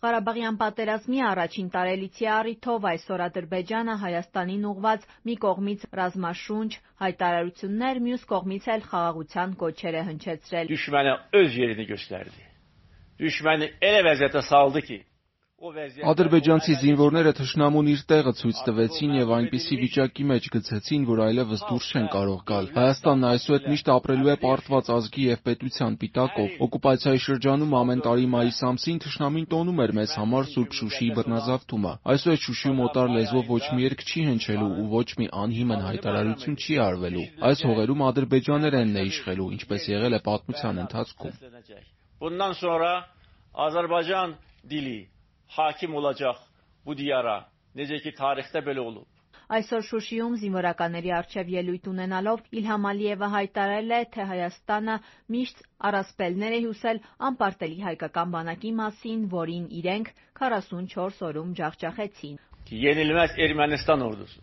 Ղարաբաղյան պատերազմի առաջին տարելիցի առիթով այսօր Ադրբեջանը Հայաստանին ուղղված մի կողմից ռազմաշունչ հայտարարություններ, մյուս կողմից էլ խաղաղության կոչեր է հնչեցրել։ Düşmənə öz yerini göstərdi. Düşməni elə vəziyyətə saldı ki, Ադրբեջանցի զինվորները թշնամուն իր տեղը ցույց տվեցին եւ այնպիսի վիճակի մեջ գցեցին, որ այլևս դուրս չեն կարող գալ։ Հայաստանն այսուհետ միշտ ապրելու է պարտված ազգի եւ պետության պիտակով։ Օկուպացիայի շրջանում ամեն տարի մայիս ամսին թշնամին տոնում էր մեզ համար Սուրբ Շուշիի բռնազավթումը։ Այսուհետ Շուշիում օտար լեզվով ոչ մի երգ չի հնչելու ու ոչ մի անհիմն հայտարարություն չի արվելու։ Այս հողերում ադրբեջաներենն է իշխելու, ինչպես եղել է պատմության ընթացքում։ Bundan sonra Azərbaycan dili hakim olacaq bu diyara. Necə ki tarixdə belə olub. Այսօր Շուշիում զինվորականների առջև ելույթ ունենալով Իլհամ Ալիևը հայտարարել է, թե Հայաստանը միշտ առասպելներ է հյուսել անպարտելի հայկական բանակի մասին, որին իրենք 44 օրում ջախջախեցին։ Yenilməz Ermənistan ordusu.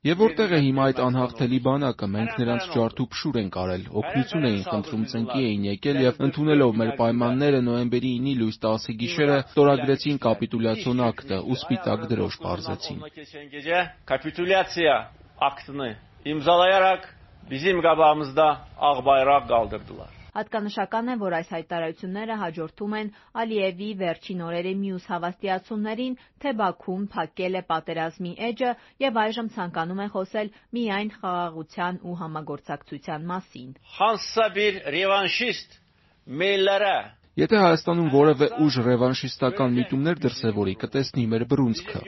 Եվ որտեղ է հիմա այդ անհաղթելի բանակը, մենք նրանց ջարդու փշուր ենք արել, օգնություն էին խնդրում, ծնկի էին եկել եւ ընդունելով մեր պայմանները նոյեմբերի 9-ի լույս 10-ի գիշերը ստորագրեցին կապիտուլյացիոն ակտը ու սպիտակ դրոշ պարզեցին։ Կապիտուլյացիա ակտını imzalayaraq bizim qabağımızda ağ bayraq qaldırdılar. Հատկանշական է, որ այս հայտարարությունները հաջորդում են Ալիևի վերջին օրերի մյուս հավաստիացումներին, թե Բաքուն փակել է պատերազմի էջը եւ այժմ ցանկանում է խոսել միայն խաղաղության ու համագործակցության մասին։ Hansısa bir revanşist meyllərə Եթե Հայաստանում որևէ ուժ ռևանշիստական միտումներ դրսևորի, կտեսնի մեր բռունցքը։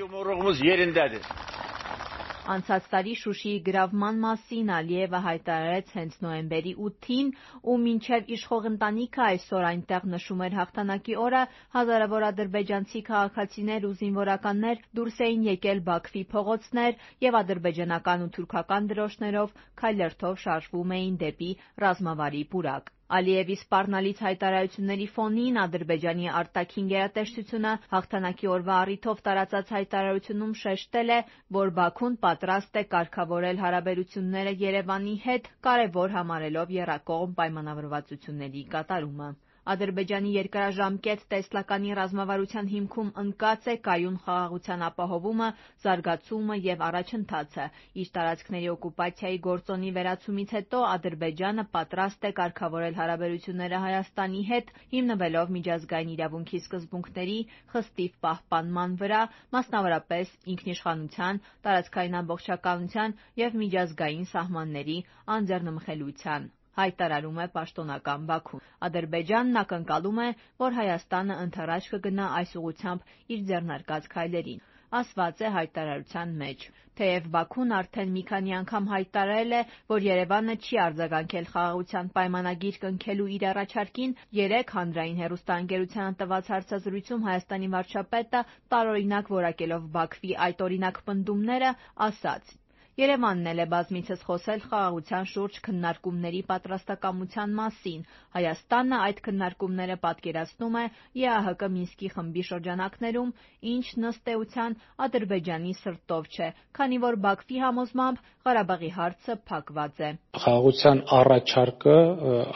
Անցած տարի Շուշիի գրավման մասին Ալիևը հայտարարեց հենց նոյեմբերի 8-ին ու մինչև իշխող ընտանիքը այսօր այնտեղ նշում էր հաղթանակի օրը, հազարավոր ադրբեջանցի քաղաքացիներ ու զինվորականներ դուրս էին եկել Բաքվի փողոցներ եւ ադրբեջանական ու թուրքական դրոշներով քայլերթով շարժվում էին դեպի ռազմավարի պուրակ։ Ալիևի սպառնալից հայտարարությունների ֆոնին Ադրբեջանի արտաքին գերատեսչությունը հաղթանակի օրվա առիթով տարածած հայտարարությունում շեշտել է, որ Բաքուն պատրաստ է կարգավորել հարաբերությունները Երևանի հետ, կարևոր համարելով եռակողմ պայմանավորվածությունների կատարումը։ Ադրբեջանի երկարաժամկետ տեսլականի ռազմավարության հիմքում ընկած է կայուն խաղաղության ապահովումը, զարգացումը եւ առաջընթացը։ Իր տարածքների օկուպացիայի գործոնի վերացումից հետո Ադրբեջանը պատրաստ է կարգավորել հարաբերությունները Հայաստանի հետ, հիմնվելով միջազգային իրավունքի սկզբունքների խստիվ պահպանման վրա, մասնավորապես ինքնիշխանության, տարածքային ամբողջականության եւ միջազգային սահմանների անձեռնմխելիության, հայտարարում է պաշտոնական Բաքուն։ Ադրբեջանն ակնկալում է, որ Հայաստանը ընդառաջ կգնա այս ուղղությամբ իր ձեռնարկած քայլերին։ Ասված է հայտարարության մեջ։ Թեև Բաքուն արդեն մի քանի անգամ հայտարարել է, որ Երևանը չի արձագանքել խաղաղության պայմանագիր կնքելու իր առաջարկին, երեկ հանրային հեռուստաընկերությանը տված հարցազրույցում Հայաստանի վարչապետը տարօրինակ որակելով Բաքվի այդ օրինակ պնդումները, ասաց. Երևանն էլ է բազմիցս խոսել խաղաղության շուրջ քննարկումների պատրաստակամության մասին։ Հայաստանը այդ քննարկումները պատկերացնում է ԵԱՀԿ Մինսկի խմբի շրջանակներում, ինչ ըստ էության Ադրբեջանի սրտով չէ, քանի որ Բաքվի համոզմամբ Ղարաբաղի հարցը փակված է։ Խաղաղության առաջարկը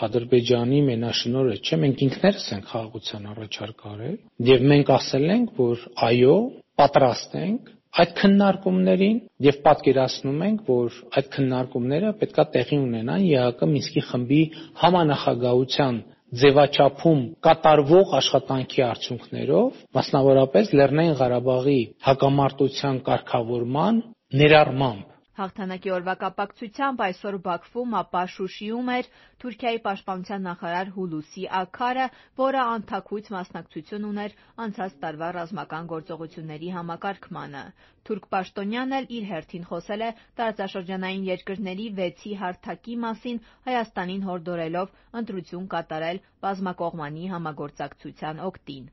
Ադրբեջանի մենաշնորհը չէ, մենք ինքներս ենք խաղաղության առաջարկ արել եւ մենք ասել ենք, որ այո, պատրաստ ենք այդ քննարկումներին եւ պատկերացնում ենք, որ այդ քննարկումները պետքա տեղի ունենան ԵԱՀԿ Մինսկի խմբի համանախագահության ձևաչափում կատարվող աշխատանքի արդյունքներով, մասնավորապես Լեռնային Ղարաբաղի հակամարտության կարգավորման ներառմամբ։ Հաղթանակի օրվա կապակցությամբ այսօր Բաքվում, ապա Շուշիում էր Թուրքիայի պաշտպանության նախարար Հուլուսի Աքարը, որը անթաքույց մասնակցություն ուներ անցած տարվա ռազմական գործողությունների համակարգմանը։ Թուրք պաշտոնյան էլ իր հերթին խոսել է տարածաշրջանային երկրների 6-ի հարթակի մասին, Հայաստանին հորդորելով ընտրություն կատարել բազմակողմանի համագործակցության օգտին։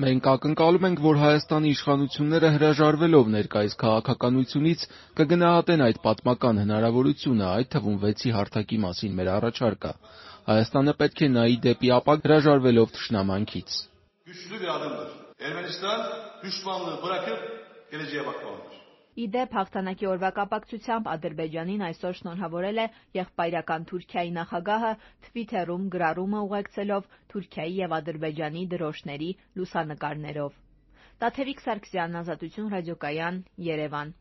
Մենք ակնկալում ենք, որ Հայաստանի իշխանությունները հրաժարվելով ներկայիս քաղաքականությունից կգնահատեն այդ պատմական հնարավորությունը, այդ թվում 6-ի հարթակի մասին մեր առաջարկը։ Հայաստանը պետք է նայի դեպի ապագա հրաժարվելով թշնամանքից։ Ermənistan düşmanlığı bırakıp geleceğe bakmalıdır. Ի դեպ, հաղթանակի օրվա կապակցությամբ Ադրբեջանին այսօր շնորհավորել է եղբայրական Թուրքիայի նախագահը Թվիթերում գրառումը ուղեկցելով Թուրքիայի և Ադրբեջանի դրոշների լուսանկարներով։ Տաթևիկ Սարգսյան, Ազատություն ռադիոկայան, Երևան։